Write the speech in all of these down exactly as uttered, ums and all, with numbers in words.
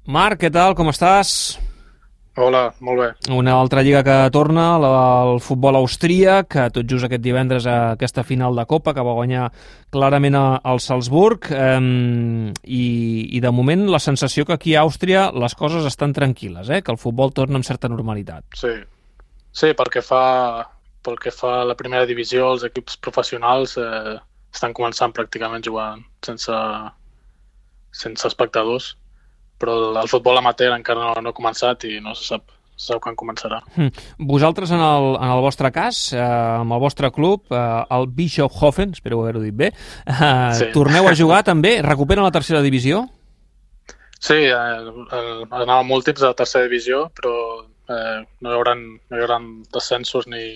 Marc, què tal? Com estàs? Hola, molt bé. Una altra lliga que torna, la del futbol austríac, que tot just aquest divendres a aquesta final de Copa, que va guanyar clarament el Salzburg, eh, i, i de moment la sensació que aquí a Àustria les coses estan tranquil·les, eh? Que el futbol torna amb certa normalitat. Sí, sí pel, que fa, pel que fa a la primera divisió, els equips professionals eh, estan començant pràcticament jugant sense, sense espectadors, però el futbol amateur encara no, no ha començat i no se sap, se sap quan començarà. Vosaltres, en el, en el vostre cas, eh, amb el vostre club, eh, el Bischofshofen, espero haver-ho dit bé, eh, sí. Torneu a jugar també? Recuperen la tercera divisió? Sí, eh, eh, anàvem últims de la tercera divisió, però eh, no, hi haurà, no hi haurà descensos ni,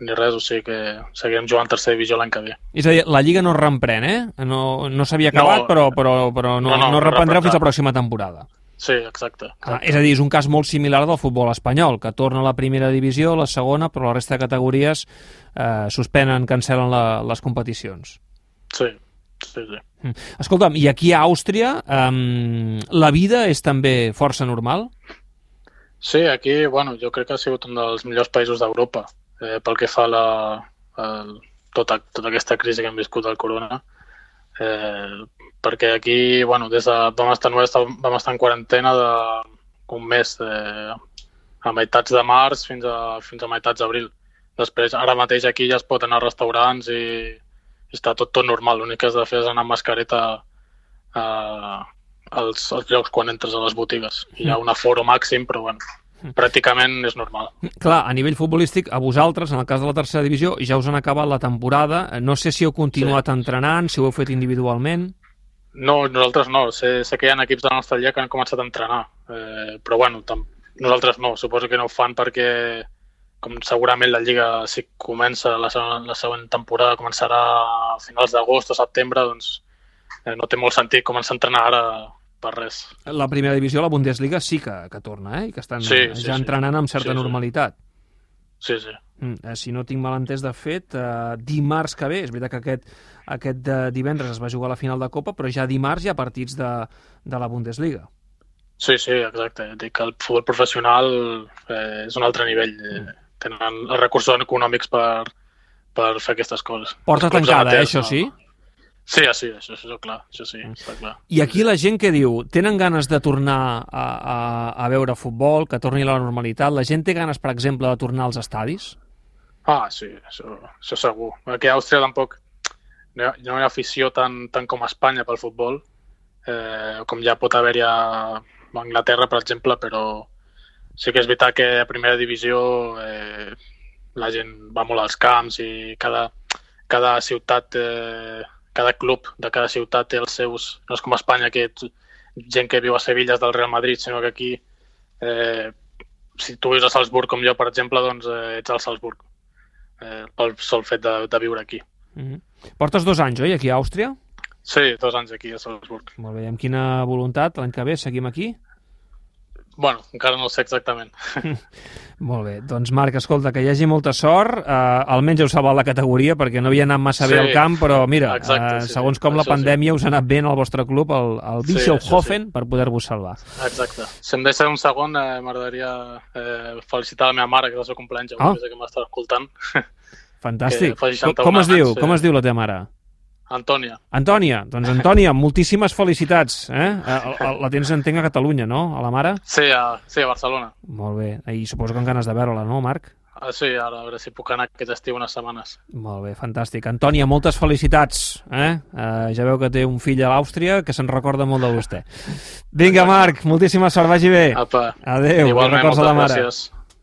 ni res, o sigui que seguirem jugant tercera divisió l'any que ve. És a dir, la Lliga no es reprèn, eh? No, no s'havia acabat, no, però, però, però no, no, no, no reprendreu no fins a la pròxima temporada. Sí, exacte. exacte. Ah, és a dir, és un cas molt similar del futbol espanyol, que torna a la primera divisió, la segona, però la resta de categories eh, suspenen, cancel·len la, les competicions. Sí, sí, sí. Escolta'm, i aquí a Àustria eh, la vida és també força normal? Sí, aquí, bueno, jo crec que ha sigut un dels millors països d'Europa. Eh, pel que fa a la, a tota, tota aquesta crisi que hem viscut del corona, eh, perquè aquí, bueno, des de vam estar, vam estar en quarantena d'un mes, eh, a meitats de març fins a, fins a meitats d'abril. Després, ara mateix aquí ja es pot anar a restaurants i, i està tot, tot normal. L'únic que has de fer és anar amb mascareta a, als, als llocs quan entres a les botigues. Hi ha un aforo màxim, però bueno, pràcticament és normal. Clar, a nivell futbolístic, a vosaltres, en el cas de la tercera divisió, ja us han acabat la temporada. No sé si heu continuat sí. entrenant, si ho heu fet individualment. No, nosaltres no. Sé, sé que hi ha equips de la nostra lliga que han començat a entrenar, eh, però bueno, tam- nosaltres no. Suposo que no ho fan perquè, com segurament la lliga, si comença la, la següent temporada, començarà a finals d'agost o setembre, doncs eh, no té molt sentit començar a entrenar ara per res. La primera divisió, la Bundesliga, sí que, que torna, eh? I que estan sí, ja sí, entrenant amb certa sí, sí. normalitat. Sí, sí. Mm, si no tinc mal entès, de fet, eh, dimarts que ve, és veritat que aquest, aquest de divendres es va jugar a la final de Copa, però ja dimarts hi ha partits de, de la Bundesliga. Sí, sí, exacte. Dic que el futbol professional eh, és un altre nivell. Eh, tenen els recursos econòmics per, per fer aquestes coses. Porta tancada, amateurs, eh, això sí? No. Sí, sí, això, això, clar, això sí, està clar. I aquí la gent què diu? Tenen ganes de tornar a, a, a veure futbol, que torni a la normalitat? La gent té ganes, per exemple, de tornar als estadis? Ah, sí, això, això segur. Aquí a Àustria tampoc no hi ha, no hi ha afició tan, tant com a Espanya pel futbol, eh, com ja pot haver-hi a Anglaterra, per exemple, però sí que és veritat que a primera divisió eh, la gent va molt als camps i cada, cada ciutat... Eh, cada club de cada ciutat té els seus... No és com a Espanya, que gent que viu a Sevilla és del Real Madrid, sinó que aquí, eh, si tu vius a Salzburg com jo, per exemple, doncs eh, ets al Salzburg, eh, pel sol fet de, de viure aquí. Mm-hmm. Portes dos anys, oi, aquí a Àustria? Sí, dos anys aquí a Salzburg. Molt bé, amb quina voluntat? L'any que ve seguim aquí? Bueno, encara no ho sé exactament. Molt bé, doncs Marc, escolta, que hi hagi molta sort, eh, almenys heu salvat la categoria perquè no havia anat massa sí, bé al camp, però mira, exacte, eh, segons sí, com la pandèmia sí. us ha anat bé en el vostre club, el, el Bischofshofen, sí, sí. per poder-vos salvar. Exacte. Si em deixa un segon, eh, m'agradaria eh, felicitar la meva mare, que és el seu cumpleaños, oh. que m'està escoltant. Fantàstic. Com, com es diu? Sí. Com es diu la teva mare? Antònia. Antònia, doncs Antònia, moltíssimes felicitats. Eh? La tens, entenc, a Catalunya, no? A la mare? Sí, a, sí, a Barcelona. Molt bé. I suposo que amb ganes de veure-la, no, Marc? Ah, sí, ara a veure si puc anar aquest estiu unes setmanes. Molt bé, fantàstic. Antònia, moltes felicitats. Eh? Uh, ja veu que té un fill a l'Àustria que se'n recorda molt de vostè. Vinga, Marc, moltíssima sort, vagi bé. Apa. Adéu. Igualment, moltes gràcies.